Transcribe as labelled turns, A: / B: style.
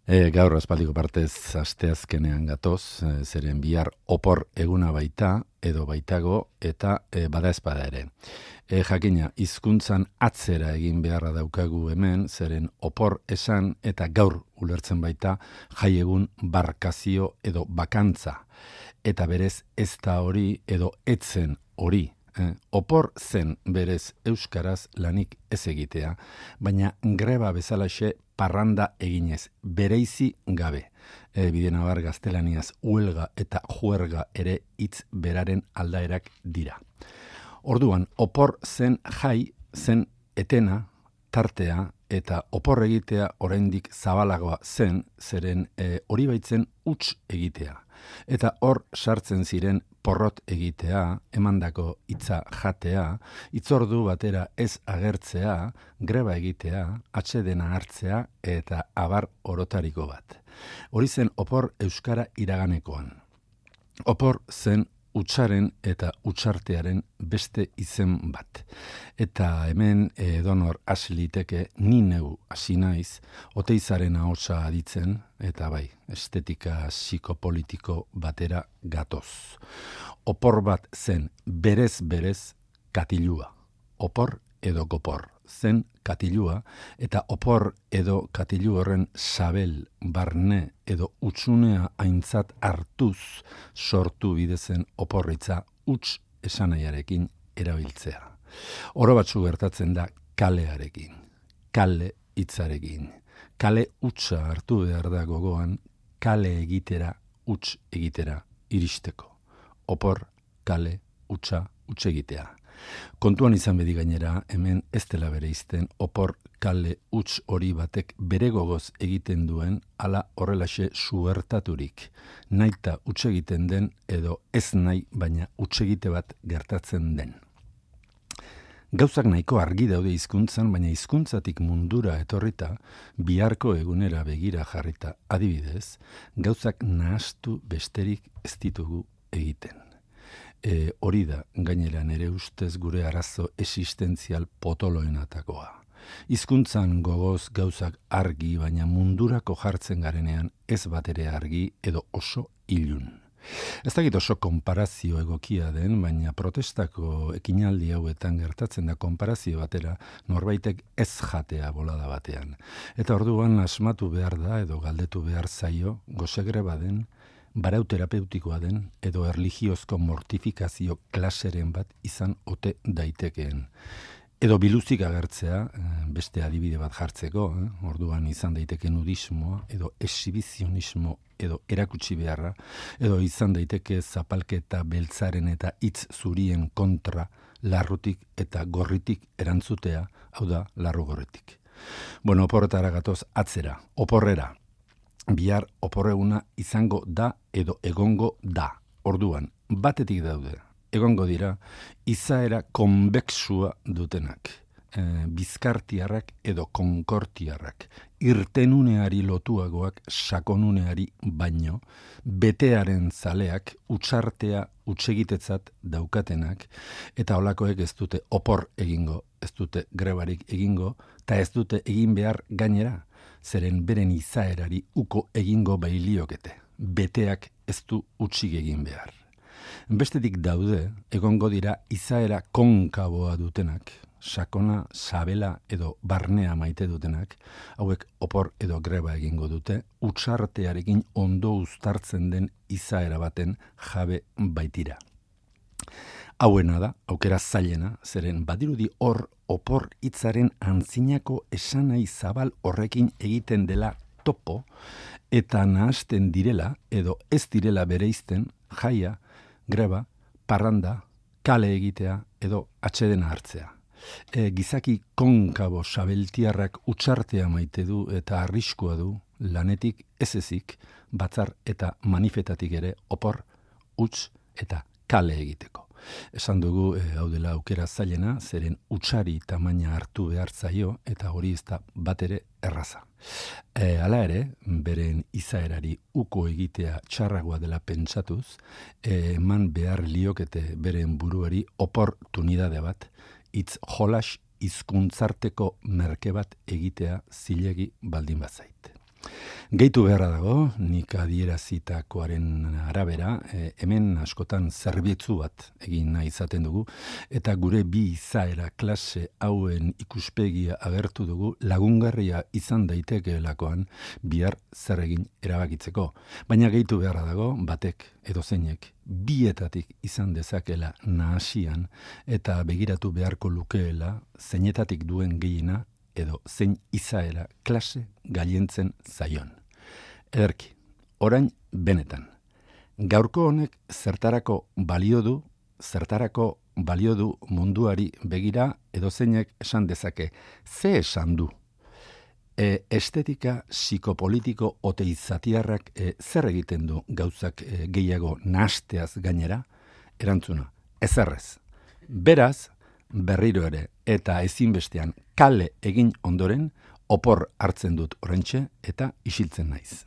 A: Gaur aspaldiko partez asteazkenean gatoz, zeren bihar opor eguna baita, edo baitago, eta bada espada ere. Jakina, hizkuntzan atzera egin beharra daukagu hemen, zeren opor esan eta gaur ulertzen baita jaiegun barkazio edo bakantza. Eta berez ez da hori edo etzen hori. Opor zen berez euskaraz lanik ez egitea, baina greba bezalaxe parranda eginez, bereizi gabe. Bidenabar gaztelaniaz huelga eta juerga ere hitz beraren aldaerak dira. Orduan, opor zen jai, zen etena, tartea, eta opor egitea oraindik zabalagoa zen, zeren hori baitzen huts egitea. Eta hor sartzen ziren porrot egitea, emandako hitza jatea, hitzordu batera ez agertzea, greba egitea, atsedena hartzea eta abar orotariko bat. Hori zen opor euskara iraganekoan. Opor zen hutsaren eta hutsartearen beste izen bat. Eta hemen edonor hasi liteke ni neu hasi naiz, Oteizaren ahotsa aditzen, eta bai, estetika psikopolitiko batera gatoz. Opor bat zen berez katilua. Opor edo gopor zen katilua, eta opor edo katilu horren sabel, barne edo utsunea aintzat hartuz sortu bidezen oporritza huts esanaiarekin erabiltzea. Oro batzu gertatzen da kalearekin, kale hitzarekin. Kale hutsa hartu behar da gogoan, kale egitera, huts egitera iristeko. Opor, kale, hutsa, huts egitea. Kontuan izan bedi gainera, hemen ez dela bereizten opor, kale, huts hori batek bere gogoz egiten duen, ala horrelaxe suertaturik. Naita huts egiten den edo ez nahi, baina huts egite bat gertatzen den. Gauzak nahiko argi daude hizkuntzan, baina hizkuntzatik mundura etorrita, biharko egunera begira jarrita, adibidez, gauzak nahastu besterik ez ditugu egiten. Hori da, gainera nere ustez gure arazo existentzial potoloenatakoa. Hizkuntzan gogoz gauzak argi, baina mundurako jartzen garenean ez batere argi edo oso ilun. Ez dakit oso konparazio egokia den, baina protestako ekinaldi hauetan gertatzen da konparazio batera norbaitek ez jatea bolada batean. Eta orduan asmatu behar da edo galdetu behar zaio gosegreba den, barauterapeutikoa den edo erlijiozko mortifikazio klaseren bat izan ote daitekeen. Edo biluzik agertzea, beste adibide bat jartzeko, orduan izan daiteke nudismoa, edo exhibizionismo, edo erakutsi beharra, edo izan daiteke zapalketa beltzaren eta hitz zurien kontra larrutik eta gorritik erantzutea, hau da, larru gorritik. Bueno, oporretara gatoz atzera, oporrera. Bihar oporreguna izango da edo egongo da. Orduan, batetik daude, egongo dira, izaera konbexua dutenak. Bizkartiarrak edo konkortiarrak. Irtenuneari lotuagoak sakonuneari baino, betearen zaleak, hutsartea hutsegitetzat daukatenak, eta holakoek ez dute opor egingo, ez dute grebarik egingo, eta ez dute egin behar gainera, zeren beren izaerari uko egingo bailiokete. Beteak ez du hutsik egin behar. Bestetik daude, egongo dira izaera konkaboa dutenak, sakona, sabela edo barnea maite dutenak, hauek opor edo greba egingo dute, hutsartearekin ondo uztartzen den izaera baten jabe baitira. Hauena da, aukera zailena, zeren badirudi hor opor hitzaren antzinako esanai zabal horrekin egiten dela topo, eta nahasten direla edo ez direla bereizten jaia, greba, parranda, kale egitea edo atsedena hartzea. Gizaki konkabo sabeltiarrak hutsartea maite du eta arriskua du lanetik ez ezik, batzar eta manifetatik ere opor, huts eta kale egiteko. Esan dugu hau dela aukera zailena, zeren hutsari tamaina hartu behar zaio eta hori ez da batere erraza. Hala ere, beren izaerari uko egitea txarragoa dela pentsatuz, eman behar liokete beren buruari oportunidade bat, hitz jolas hizkuntzarteko merke bat egitea zilegi baldin bazait. Gehitu beharra dago, nik adierazitakoaren arabera, hemen askotan zerbitzu bat egin nahi izaten dugu, eta gure bi izaera klase hauen ikuspegia agertu dugu lagungarria izan daitekeelakoan bihar zer egin erabakitzeko. Baina gehitu beharra dago, batek edo zeinek bietatik izan dezakela nahasian eta begiratu beharko lukeela zeinetatik duen gehiena edo zein izaera klase gailentzen zaion. Ederki, orain benetan. Gaurko honek zertarako balio du munduari begira edo zeinek esan dezake, ze esan du? Estetika psikopolitiko ote izatiarrak zer egiten du gauzak gehiago nahasteaz gainera? Erantzuna, ezerrez. Beraz, berriro ere eta ezinbestean kale egin ondoren opor hartzen dut oraintxe eta isiltzen naiz.